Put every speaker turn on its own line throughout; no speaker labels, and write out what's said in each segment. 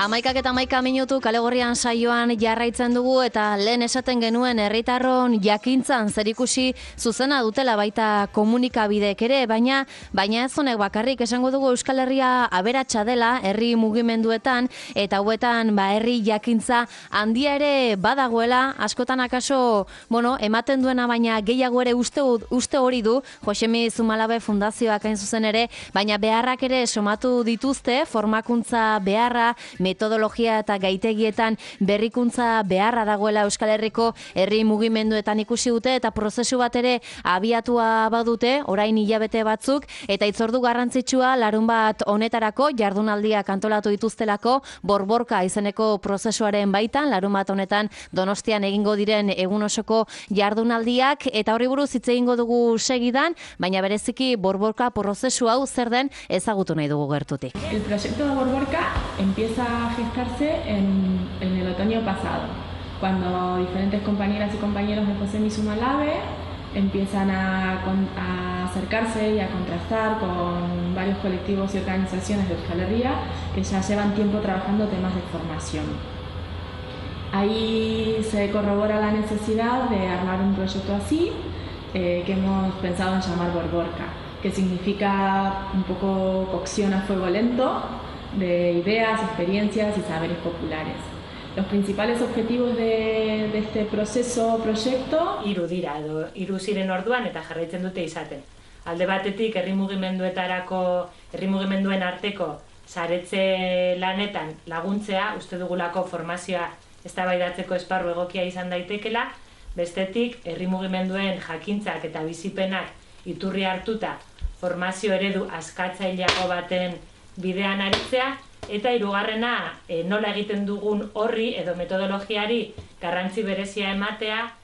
11:11 kale gorrian saioan jarraitzen dugu eta lehen esaten genuen herritarron jakintzan zerikusi zuzena dutela baita komunikabideek ere, baina ez honek bakarrik esango dugu Euskal Herria aberatsa dela herri mugimenduetan eta hauetan herri jakintza handia ere badagoela, askotan akaso, ematen duena baina gehiago ere uste hori du Josemi Zumalabe Fundazioak hain zuzen ere, baina beharrak ere somatu dituzte, formakuntza beharra, metodologia eta gaitegietan berrikuntza beharra dagoela Euskal Herriko herri mugimenduetan ikusi dute eta prozesu bat ere abiatua badute, orain hilabete batzuk, eta hitzordu garrantzitsua larunbat honetarako jardunaldiak antolatu dituztelako borborka izeneko prozesuaren baitan, larunbat honetan Donostian egingo diren egun osoko jardunaldiak, eta horri buruz hitz egingo dugu segidan, baina bereziki borborka prozesu hau zer den ezagutu nahi dugu gertutik.
El proyecto de Borborka empieza a gestarse en el otoño pasado, cuando diferentes compañeras y compañeros de Josemi Zumalabe empiezan a acercarse y a contrastar con varios colectivos y organizaciones de Euskal Herria que ya llevan tiempo trabajando temas de formación. Ahí se corrobora la necesidad de armar un proyecto así, que hemos pensado en llamar Borborka, que significa un poco cocción a fuego lento de ideas, experiencias y saberes populares. Los principales objetivos de este proyecto...
Hiru ziren orduan eta jarraitzen dute izaten. Alde batetik herri mugimenduen arteko saretze lanetan laguntzea, uste dugulako formazioa eztabaidatzeko esparru egokia izan daitekela, bestetik herri mugimenduen jakintzak eta bizipenak iturri hartuta formazio eredu askatzaileago baten bidean aritzea, eta hirugarrena nola egiten dugun horri edo metodologiari garrantzi berezia ematea.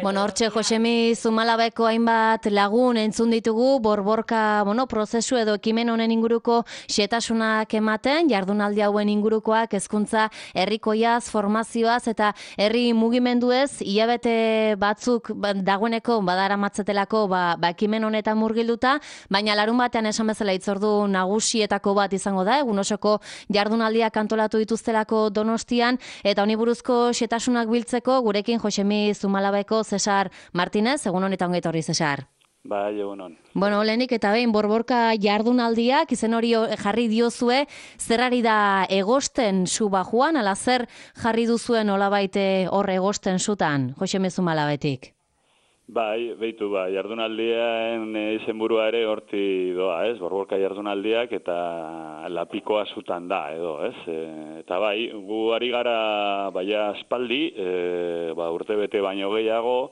Hortxe Josemi Zumalabeko hainbat lagun entzun ditugu borborka prozesu edo ekimen honen inguruko xetasunak ematen, jardunaldi hauen ingurukoak hezkuntza herrikoiaz, formazioaz eta herri mugimenduez hilabete batzuk dagoeneko badaramatzetelako ekimen honetan murgilduta, baina larun batean esan bezala hitzordu nagusietako bat izango da, egun osoko jardunaldiak antolatu dituztelako Donostian, eta honi buruzko xetasunak biltzeko gurekin Josemi Zumalabeko Cesar Martínez, egun honetan ongi etorri Cesar.
Bai, egun hon.
Lehenik eta behin borborka jardunaldiak izen hori jarri diozue, zerrari da egosten zu bajuan, ala zer jarri duzuen olabait hor egosten zutan, Josemi Zumalabetik?
Bai, jardunaldien izenburua ere horti doa, borborka jardunaldiak eta lapikoa zutan da, edo, eta bai, gu ari gara baia aspaldi, urte bete baino gehiago,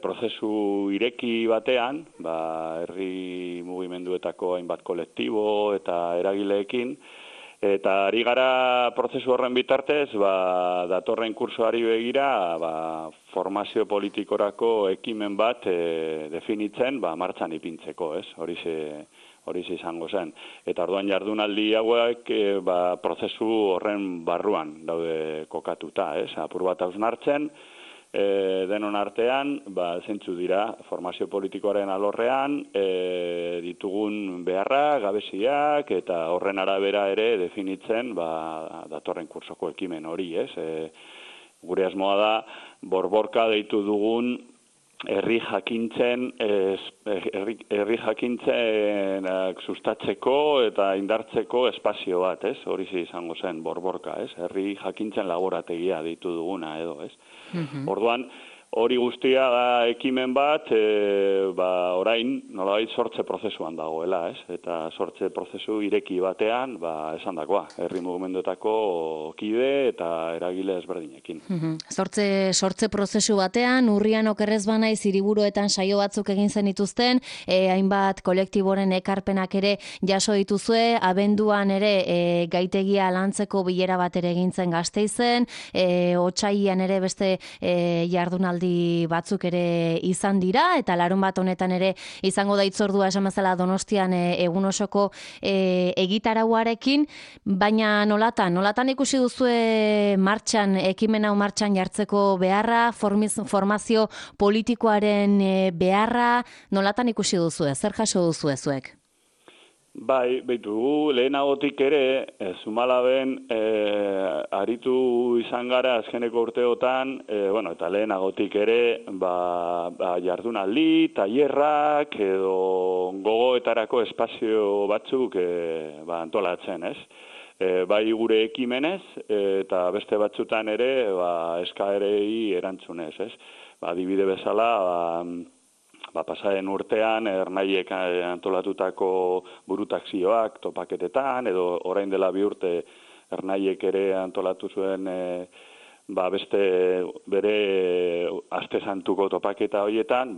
prozesu ireki batean, herri mugimenduetako hainbat kolektibo eta eragileekin, eta ari gara prozesu horren bitartez, datorren kursoari begira, formazio politikorako ekimen bat definitzen, martxan ipintzeko, horize izango zen. Eta orduan jardunaldi hauek prozesu horren barruan daude kokatuta, apur bat hausnartzen, denon artean, zentzu dira, formazio politikoaren alorrean, ditugun beharrak, gabeziak, eta horren arabera ere definitzen datorren kursoko ekimen hori, Gure asmoa da, borborka deitu dugun herri jakintzen sustatzeko eta indartzeko espazio bat, horize izango zen borborka, herri jakintzen laborategia deitu duguna edo, Orduan, hori guztia da ekimen bat, orain nolabait sortze prozesuan dagoela, eta sortze prozesu ireki batean, esan dakoa, herri mugimenduetako kide eta eragile ezberdinekin.
Sortze prozesu batean, urrian okerrez banaiz hiriburuetan saio batzuk egin zenituzten, hainbat kolektiboren ekarpenak ere jaso dituzue, abenduan ere gaitegia lantzeko bilera bat ere egin zen Gasteizen, otsailean ere beste jardunaldi batzuk ere izan dira, eta larun bat honetan ere izango da hitzordua esan bezala Donostian egun osoko egitarauarekin, baina nolatan ikusi duzue ekimen hau martxan jartzeko beharra, formazio politikoaren beharra, nolatan ikusi duzue, zer jaso duzue zuek?
Bai, behitu, lehenagotik ere, Zumalaben aritu izan gara azkeneko urteotan, eta lehenagotik ere, jardunaldi, tailerrak edo gogoetarako espazio batzuk antolatzen, ez? Bai gure ekimenez, eta beste batzutan ere, eskaerei erantzunez, ez? Adibide bezala, pasaren urtean, Ernaiek antolatutako burutakzioak topaketetan, edo orain dela 2 urte Ernaiek ere antolatu zuen beste bere aste santuko topaketa horietan,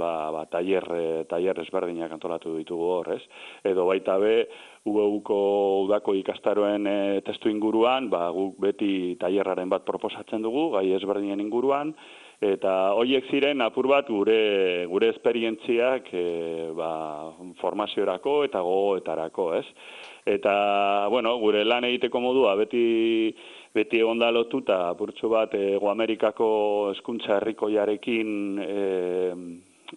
tailer ezberdinak antolatu ditugu hor, ez? Edo baita be, UEUko udako ikastaroen testu inguruan, guk beti tailerraren bat proposatzen dugu, gai ezberdinen inguruan, eta horiek ziren apur bat gure esperientziak formaziorako eta gogoetarako, ez? Eta, gure lan egiteko modua beti egonda lotuta apurtxo bat Hego Amerikako hezkuntza herrikoiarekin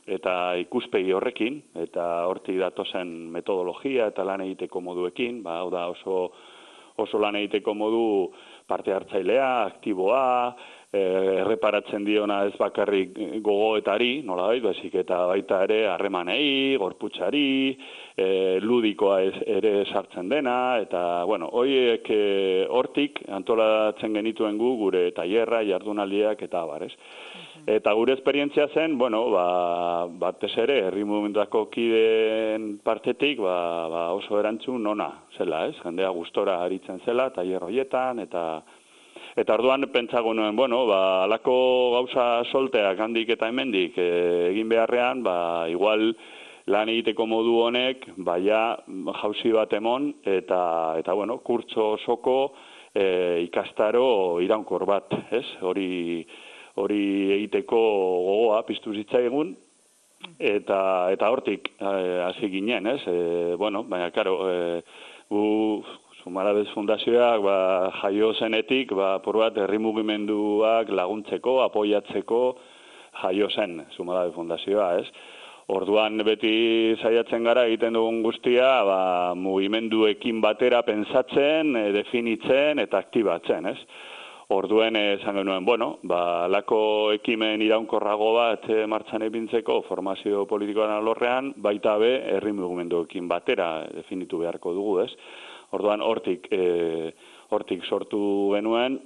eta ikuspegi horrekin, eta hortik datozen metodologia eta lan egiteko moduekin, hau da oso lan egiteko modu parte hartzailea, aktiboa, erreparatzen diona ez bakarrik gogoetari, nolabait, baizik eta baita ere harremanei, gorputzari, ludikoa ere sartzen dena, eta, horiek hortik antolatzen genituen gure tailerra, jardunaldiak eta abar, ez? Eta gure esperientzia zen, batez ere, herri mugimenduako kideen partetik, oso erantzun ona zela, ez? Jendea gustora aritzen zela, tailer horietan, eta orduan pentsago nuen, alako gauza solteak handik eta hemendik egin beharrean, igual lan egiteko modu honek, jauzi bat emon, eta kurtso osoko ikastaro iraunkor bat, ez? Hori egiteko gogoa piztu zitzaigun, eta hortik hasi ginen, ez? Baina, karo, Zumalabez Fundazioak jaio zenetik, apur bat herri mugimenduak laguntzeko, apoiatzeko jaio zen Zumalabez Fundazioa, ez? Orduan beti saiatzen gara egiten dugun guztia, mugimenduekin batera pentsatzen, definitzen eta aktibatzen, ez? Orduen esan genuen, lako ekimen iraunkorrago bat martxan epintzeko formazio politikoan alorrean, baita be herri mugimenduekin batera definitu beharko dugu, ez? Orduan hortik sortu genuen,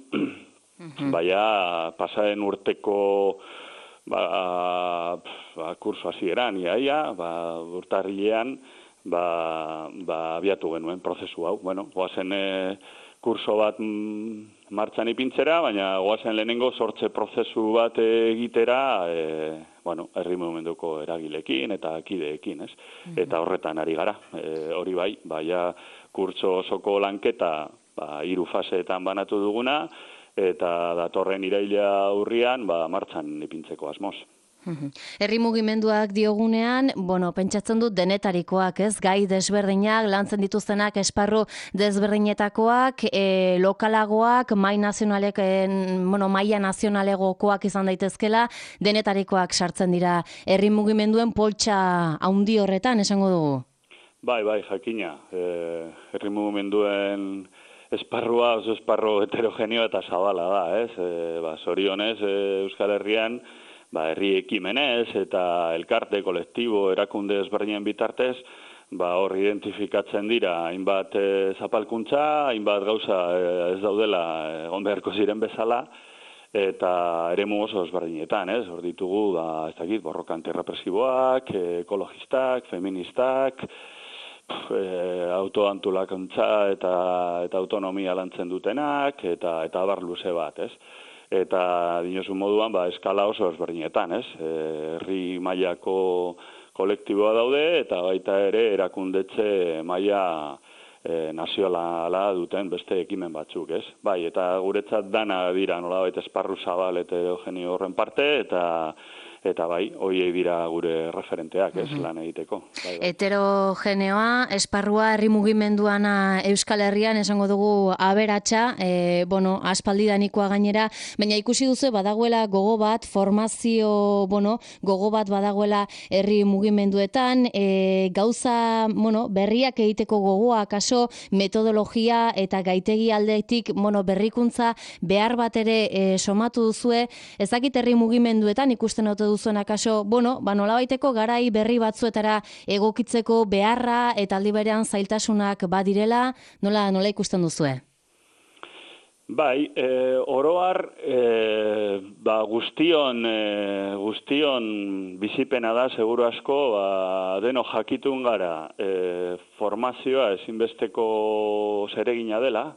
pasaren urteko kurso hasieran, urtarrilean, abiatu genuen prozesu hau. Goazen kurso bat martxan ipintzera, baina goazen lehenengo sortze prozesu bat egitera, herri mugimenduko eragilekin eta kideekin, ez? Eta horretan ari gara. Hori bai, kurtso osoko lanketa 3 faseetan banatu duguna, eta datorren iraila urrian martxan ipintzeko asmoz.
Herri mugimenduak diogunean, pentsatzen dut denetarikoak, ez? Gai desberdinak, lantzen dituztenak esparru desberdinetakoak, lokalagoak, maila nazionalegokoak izan daitezkela, denetarikoak sartzen dira herri mugimenduen poltsa haundi horretan, esango dugu?
Bai, jakina. Herri mugimenduen esparrua oso esparru heterogeneo eta zabala da, ez? Zorionez, Euskal Herrian, herri ekimenez eta elkarte, kolektibo, erakunde ezberdinen bitartez, hor identifikatzen dira hainbat zapalkuntza, hainbat gauza ez daudela egon beharko ziren bezala, eta eremu oso ezberdinetan, ez? Hor ditugu, borroka antirrepresiboak, ekologistak, feministak, autoantolakuntza eta autonomia lantzen dutenak, eta abar luze bat, ez? Eta dinosu moduan, eskala oso ezberdinetan, ez? Herri mailako kolektiboa daude, eta baita ere erakundetxe maila nazionala duten beste ekimen batzuk, ez? Bai, eta guretzat dana dira nolabait esparru zabal eta heterogeneo horren parte, eta bai, hoiei dira gure referenteak, ez, lan egiteko. Bai.
Heterogeneoa, esparrua herri mugimenduana Euskal Herrian, esango dugu aberatsa, aspaldidanikoa gainera, baina ikusi duzu badagoela gogo bat, formazio, gogo bat badagoela herri mugimenduetan, gauza, berriak egiteko gogoa, kaso, metodologia eta gaitegi aldetik, berrikuntza behar bat ere somatu duzue, ezakit herri mugimenduetan ikusten ote duzuen akaso, nolabaiteko garai berri batzuetara egokitzeko beharra eta aldi berean zailtasunak badirela, nola ikusten duzue?
Bai, oroar guztion bizipena da, seguru asko, deno jakitun gara formazioa ezinbesteko zeregina dela,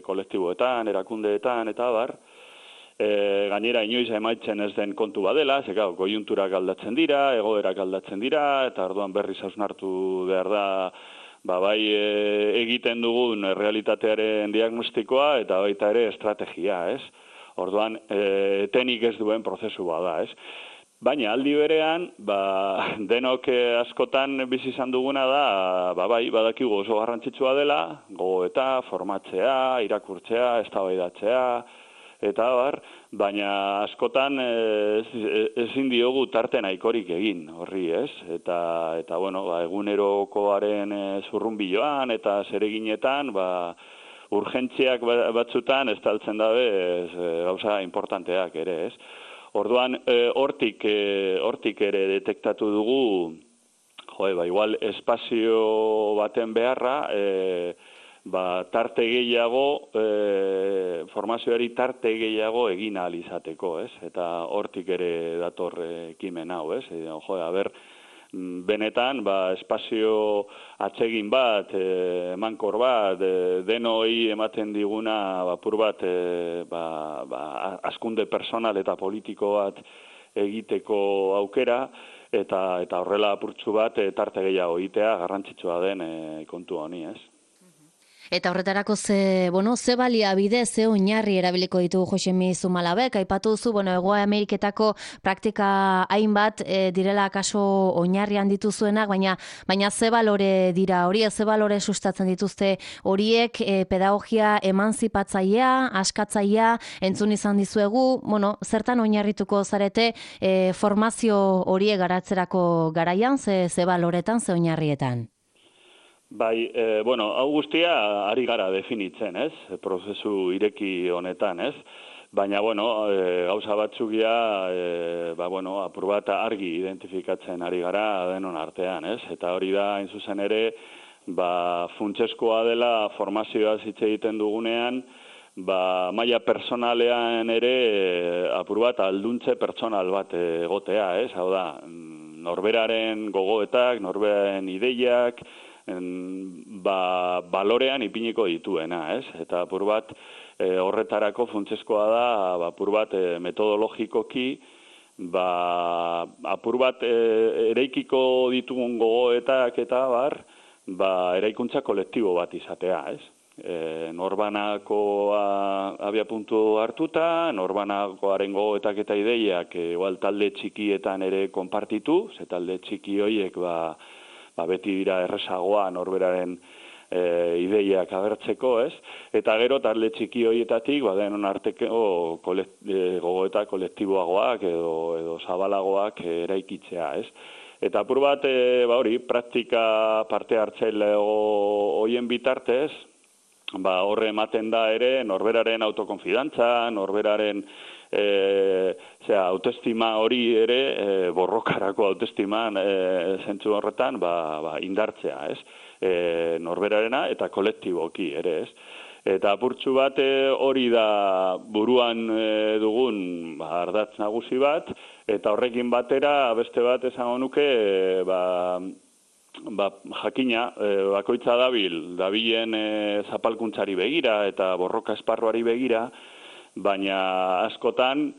kolektiboetan, erakundeetan, eta bar, gainera inoiz emaitzen ez den kontu badela, goiunturak aldatzen dira, egoerak aldatzen dira, eta orduan berriz hausnartu behar da, bai egiten dugun realitatearen diagnostikoa eta baita ere estrategia, ez? Orduan, etenik ez duen prozesu bada, ez? Baina aldi berean, denok askotan bizi izan duguna da, badakigu oso garrantzitsua dela, gogoeta, formatzea, irakurtzea, eztabaidatzea, eta baina askotan ezin diogu tarte nahikorik egin horri, ez? Eta egunerokoaren zurrunbiloan eta zereginetan, urgentziak batzutan estaltzen dabe gauza importanteak ere, ez? Orduan, hortik ere detektatu dugu, igual espazio baten beharra, tarte gehiago, formazioari tarte gehiago egin ahal izateko, ez? Eta hortik ere dator ekimen hau, ez? Benetan, espazio atsegin bat, emankor bat, denoi ematen diguna, apur bat, hazkunde personal eta politiko bat egiteko aukera, eta horrela apurtzu bat tarte gehiago egitea garrantzitsua den kontu honi, ez?
Eta horretarako ze baliabide, ze oinarri erabiliko ditugu Josemi Zumalabek, aipatu duzu, Hego Ameriketako praktika hainbat direla kaso oinarrian dituzuenak, baina ze balore dira horiek, ze balore sustatzen dituzte horiek, pedagogia emanzipatzailea, askatzailea, entzun izan dizuegu, zertan oinarrituko zarete formazio horiek garatzerako garaian, ze baloretan, ze oinarrietan?
Bai, hau guztia ari gara definitzen, ez? Prozesu ireki honetan, ez? Baina, gauza batzukia, apur bat argi identifikatzen ari gara denon artean, ez? Eta hori da, hain zuzen ere, funtseskoa dela formazioa hitz egiten dugunean, maila personalean ere apur bat alduntze pertsonal bat egotea, ez? Hau da, norberaren gogoetak, norberaren ideiak, balorean ipiniko dituena, ez? Eta apur bat horretarako funtseskoa da, apur bat metodologikoki, apur bat eraikiko ditugun gogoetak eta eraikuntza kolektibo bat izatea, ez? Norbanakoa abiapuntu hartuta, norbanakoaren gogoetak eta ideiak igual talde txikietan ere konpartitu, ze talde txiki horiek beti dira errezagoa norberaren ideiak agertzeko, ez? Eta gero talde txiki horietatik, denon arteko gogoeta kolektiboagoak edo zabalagoak eraikitzea, ez? Eta apur bat, praktika parte hartzaile horien bitartez, horre ematen da ere norberaren autokonfidantza, norberaren autoestima hori ere, borrokarako autoestiman zentzu horretan, indartzea, ez? Norberarena eta kolektiboki ere, ez? Eta apurtxu bat hori da buruan dugun ardatz nagusi bat, eta horrekin batera beste bat esango nuke, jakina, bakoitza dabilen zapalkuntzari begira eta borroka esparruari begira, baina askotan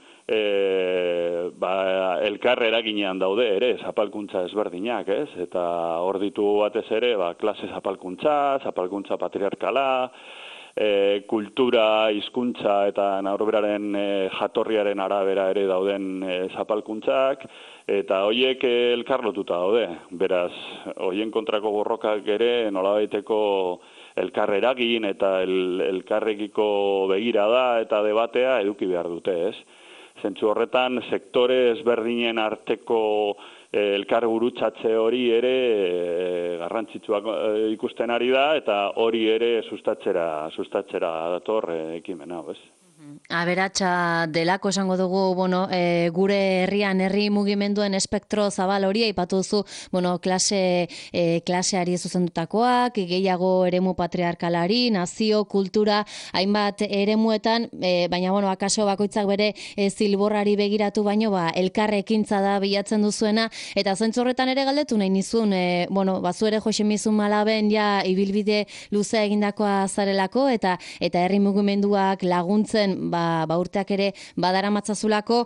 elkar eraginean daude ere, zapalkuntza ezberdinak, ez? Eta hor ditugu batez ere, klase zapalkuntza patriarkala, kultura, hizkuntza eta norberaren jatorriaren arabera ere dauden zapalkuntzak, eta horiek elkarlotuta daude. Beraz, horien kontrako borrokak ere nolabaiteko elkar eragin eta elkarrekiko begirada eta debatea eduki behar dute, ez? Zentzu horretan, sektore ezberdinen arteko elkar gurutzatze hori ere garrantzitsuak ikusten ari da, eta hori ere sustatzera dator ekimena, ez?
Aberatsa delako esango dugu, gure herrian, herri mugimenduen espektro zabal hori aipatu duzu, klaseari zuzendutakoak, gehiago eremu patriarkalari, nazio, kultura, hainbat eremuetan, baina akaso bakoitzak bere zilborrari begiratu baino, elkarrekintza da bilatzen duzuena, eta zentzu horretan ere galdetu nahi nizun, bazu ere Jose Malaben ja ibilbide luzea egindakoa zarelako, eta herri mugimenduak laguntzen urteak ere badaramatzasulako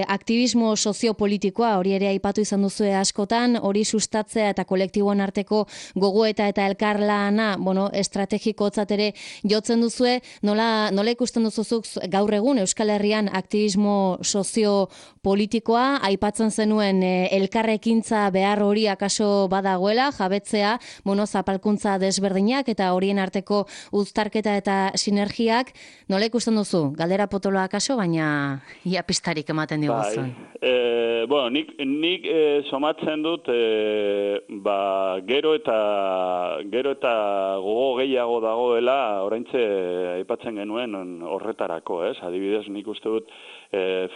aktivismo soziopolitikoa, hori ere aipatu izan duzue askotan, hori sustatzea eta kolektiboen arteko gogoeta eta elkarlana, estrategikotzat ere jotzen duzue, nola ikusten duzuzuk gaur egun Euskal Herrian aktivismo soziopolitikoa, aipatzen zenuen elkarrekintza behar hori akaso badagoela, jabetzea, zapalkuntza desberdinak eta horien arteko uztarketa eta sinergiak, nola ikusten duzu? Galdera potoloa akaso, baina ia pistarik ematen diguzun.
Nik somatzen dut, gero eta gogo gehiago dagoela, oraintze aipatzen genuen horretarako, ez? Adibidez, nik uste dut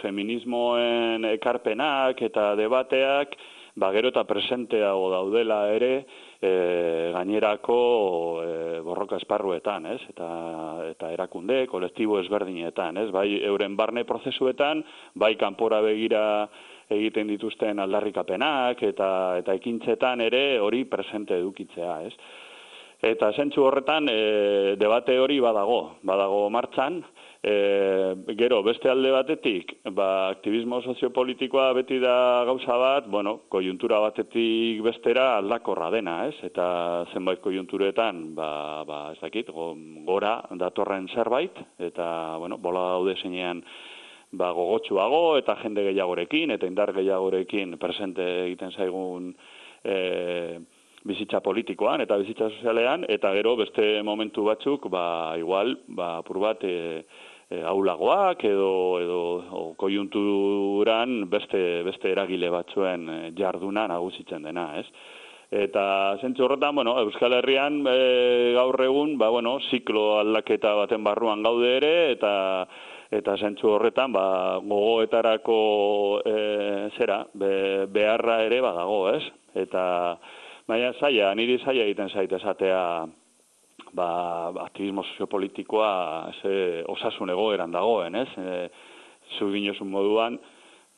feminismoen ekarpenak eta debateak, gero eta presenteago daudela ere, gainerako borroka esparruetan, ez? Eta erakunde, kolektibo ezberdinetan, ez? Bai euren barne prozesuetan, bai kanpora begira egiten dituzten aldarrikapenak eta ekintzetan ere hori presente edukitzea, ez? Eta zentzu horretan debate hori badago martxan. Gero, beste alde batetik, aktivismo soziopolitikoa beti da gauza bat, kojuntura batetik bestera aldakorra dena, ez? Eta zenbait kojunturetan, ez dakit, gora datorren zerbait, eta, bola daude zeinean gogotsuago eta jende gehiagorekin, eta indar gehiagorekin presente egiten zaigun bizitza politikoan eta bizitza sozialean, eta gero beste momentu batzuk, igual, apur bat aulagoak edo kojunturan beste eragile batzuen jarduna nagusitzen dena, ez? Eta zentzu horretan, Euskal Herrian gaur egun, ziklo aldaketa baten barruan gaude ere, eta zentzu horretan, gogoetarako beharra ere badago, ez? Eta baina niri zaila egiten zait esatea aktivismo soziopolitikoa osasun egoeran dagoen, ez? Zu dinozun moduan,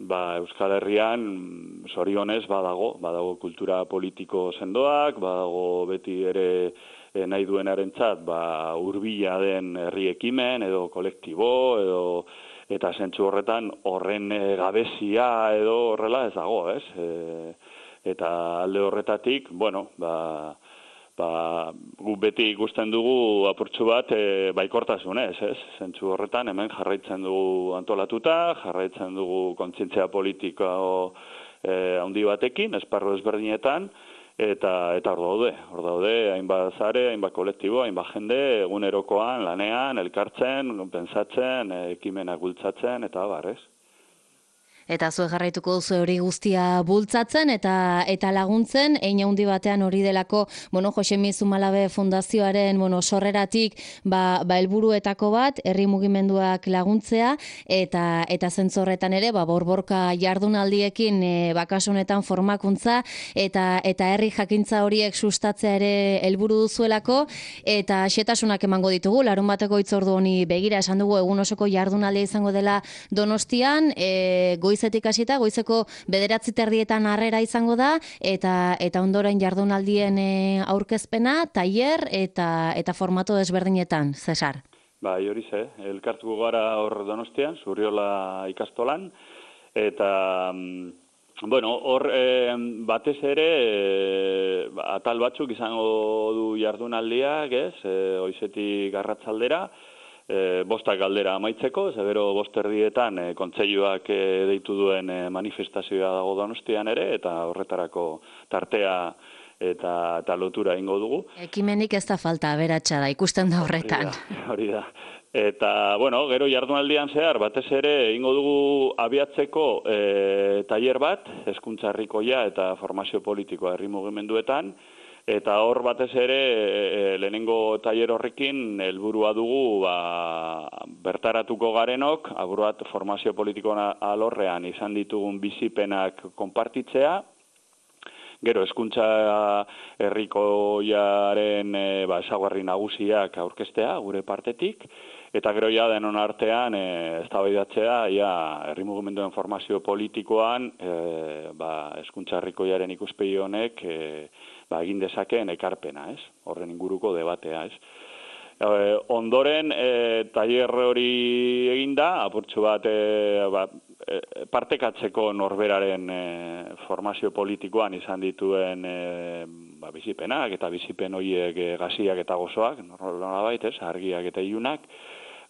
Euskal Herrian zorionez badago kultura politiko sendoak, badago beti ere nahi duenarentzat hurbila den herri ekimen edo kolektibo eta zentzu horretan horren gabezia edo horrela ez dago, ez? Eta alde horretatik, gu beti ikusten dugu apurtxu bat baikortasunez, ez? Zentzu horretan hemen jarraitzen dugu antolatuta, jarraitzen dugu kontzientzia politiko handi batekin, esparru ezberdinetan, eta hor daude, hainbat zare, hainbat kolektibo, hainbat jende, egunerokoan, lanean, elkartzen, pentsatzen, ekimenak bultzatzen, eta ez?
Eta zuek jarraituko duzu hori guztia bultzatzen eta laguntzen, hein handi batean hori delako, Jose Malabe Fundazioaren, sorreratik, helburuetako bat, herri mugimenduak laguntzea, eta zentzorretan ere, borborka jardunaldiekin, kasu honetan formakuntza, eta herri jakintza horiek sustatzea ere helburu duzuelako, eta xetasunak emango ditugu, larun bateko hitzordu honi begira, esan dugu egun osoko jardunaldia izango dela Donostian, goizetik hasita, goizeko 9:30 harrera izango da, eta ondoren jardunaldien aurkezpena, tailer eta formato desberdinetan, Cesar.
Hori elkartuko gara hor Donostian, Zurriola ikastolan, eta Bueno, hor batez ere atal batzuk izango du jardunaldiak, ez? Goizetik arratsaldera, bostak galdera amaitzeko, gero 5:00 kontseiluak deitu duen manifestazioa dago Donostian ere, eta horretarako tartea eta lotura ingo dugu.
Ekimenik ez da falta, aberatsa da, ikusten da horretan.
Hori da. Eta, bueno, gero jardunaldian zehar, batez ere, ingo dugu abiatzeko tailer bat, hezkuntza herrikoia eta formazio politikoa herri mugimenduetan, eta hor batez ere, lehenengo tailer horrekin, helburua dugu, bertaratuko garenok, aburuat formazio politikoa alorrean izan ditugun bizipenak konpartitzea, gero, hezkuntza herrikoiaren ezaugarri nagusiak aurkeztea gure partetik, eta gero ja denon artean eztabaidatzea herri mugimenduen formazio politikoan hezkuntza herrikoiaren ikuspegi honek egin dezakeen ekarpena, ez? Horren inguruko debatea, ez? Ondoren tailer hori eginda, apurtxo bat partekatzeko norberaren formazio politikoan izan dituen bizipenak eta bizipen horiek gaziak eta gozoak, nolabait, ez, argiak eta ilunak,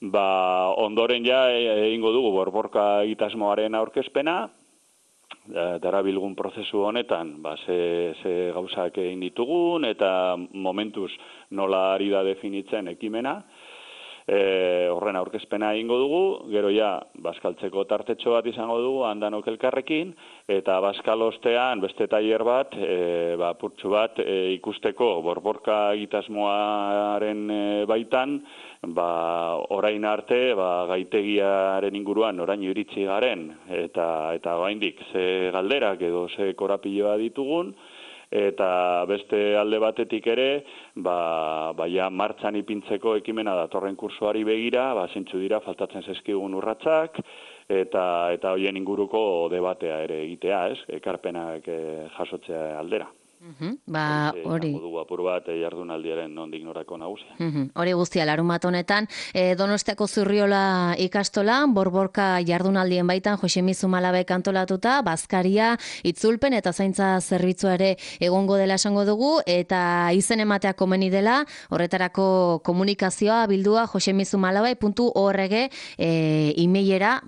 ondoren ja egingo dugu borborka egitasmoaren aurkezpena, darabilgun prozesu honetan, ze gauzak egin ditugun, eta momentuz nola ari da definitzen ekimena, horren aurkezpena egingo dugu, gero ja, bazkaltzeko tartetxo bat izango dugu, handanok elkarrekin, eta bazkalostean beste tailer bat, purtsu bat ikusteko borborka egitasmoaren baitan, orain arte, gaitegiaren inguruan oraino iritsi garen, eta oraindik ze galderak edo ze korapiloa ditugun, eta beste alde batetik ere, ja martxan ipintzeko ekimena datorren kursoari begira, zeintzu dira faltatzen zaizkigun urratsak, eta hoien inguruko debatea ere egitea, ez? Ekarpenak jasotzea aldera.
Hori.
Dugu apur bat jardunaldiaren nondik norako nagusia.
Hori guztia, larunbat honetan, Donostiako Zurriola ikastola, borborka jardunaldien baitan, Josemi Zumalabek antolatuta, bazkaria, itzulpen eta zaintza zerbitzua ere egongo dela esango dugu, eta izen ematea komeni dela, horretarako komunikazioa bildua josemizumalabek.org e-mailera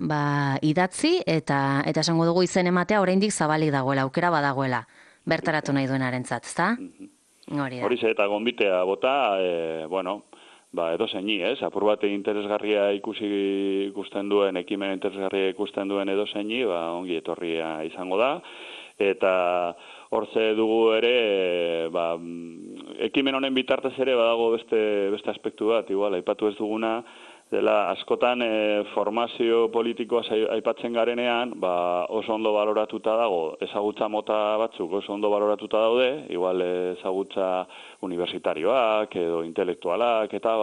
idatzi, eta esango dugu izen ematea oraindik zabalik dagoela, aukera badagoela. Bertaratu nahi duenarentzat, ezta? Hori da.
Horixe eta gonbitea bota, edo zeini, ez? Apur bat interesgarria ikusten duen, ekimen interesgarria ikusten duen edo zeini, ongi etorria izango da. Eta hortze dugu ere, ekimen honen bitartez ere badago beste aspektu bat, igual, aipatu ez duguna, dela askotan formazio politikoa aipatzen garenean, oso ondo baloratuta dago, ezagutza mota batzuk oso ondo baloratuta daude, igual ezagutza universitarioak edo intelektualak eta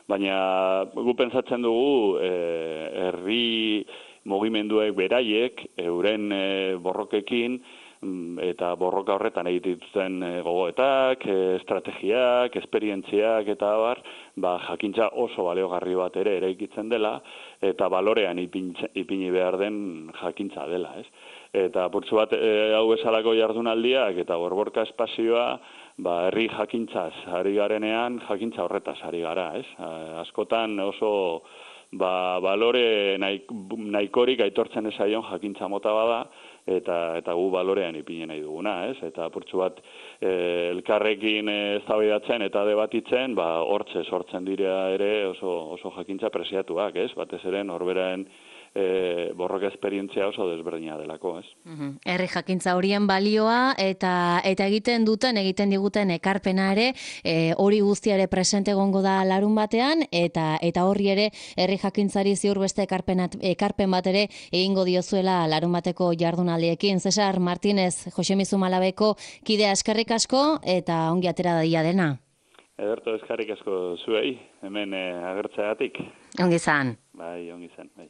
baina gu pentsatzen dugu herri mugimenduek beraiek, euren borrokekin, eta borroka horretan egiten gogoetak, estrategiak, esperientziak eta jakintza oso baleogarri bat ere eraikitzen dela, eta balorean ipini behar den jakintza dela, ez? Eta purtsu bat hau bezalako jardunaldiak eta borborka espazioa, herri jakintzaz ari garenean, jakintza horretaz ari gara, ez? Askotan oso balore nahikorik aitortzen ezaion jakintza mota bada, eta gu balorean ipine nahi duguna, ez? Eta purtsu bat elkarrekin eztabaidatzen eta debatitzen, hortze sortzen dira ere oso jakintza preziatuak, ez? Batez ere norberaen borroka esperientzia oso desberdina delako, ez?
Herri jakintza horien balioa eta egiten diguten ekarpena ere, hori guztia ere presente egongo da larun batean, eta horri ere herri jakintzari ziur beste ekarpen bat ere egingo diozuela larun bateko jardunaldiekin. Cesar Martínez, Josemi Zumalabeko kidea, eskerrik asko eta ongi atera daia dena.
Ederto, eskerrik asko zuei, hemen agertzeagatik.
Ongi izan.
Ongi izan, bai.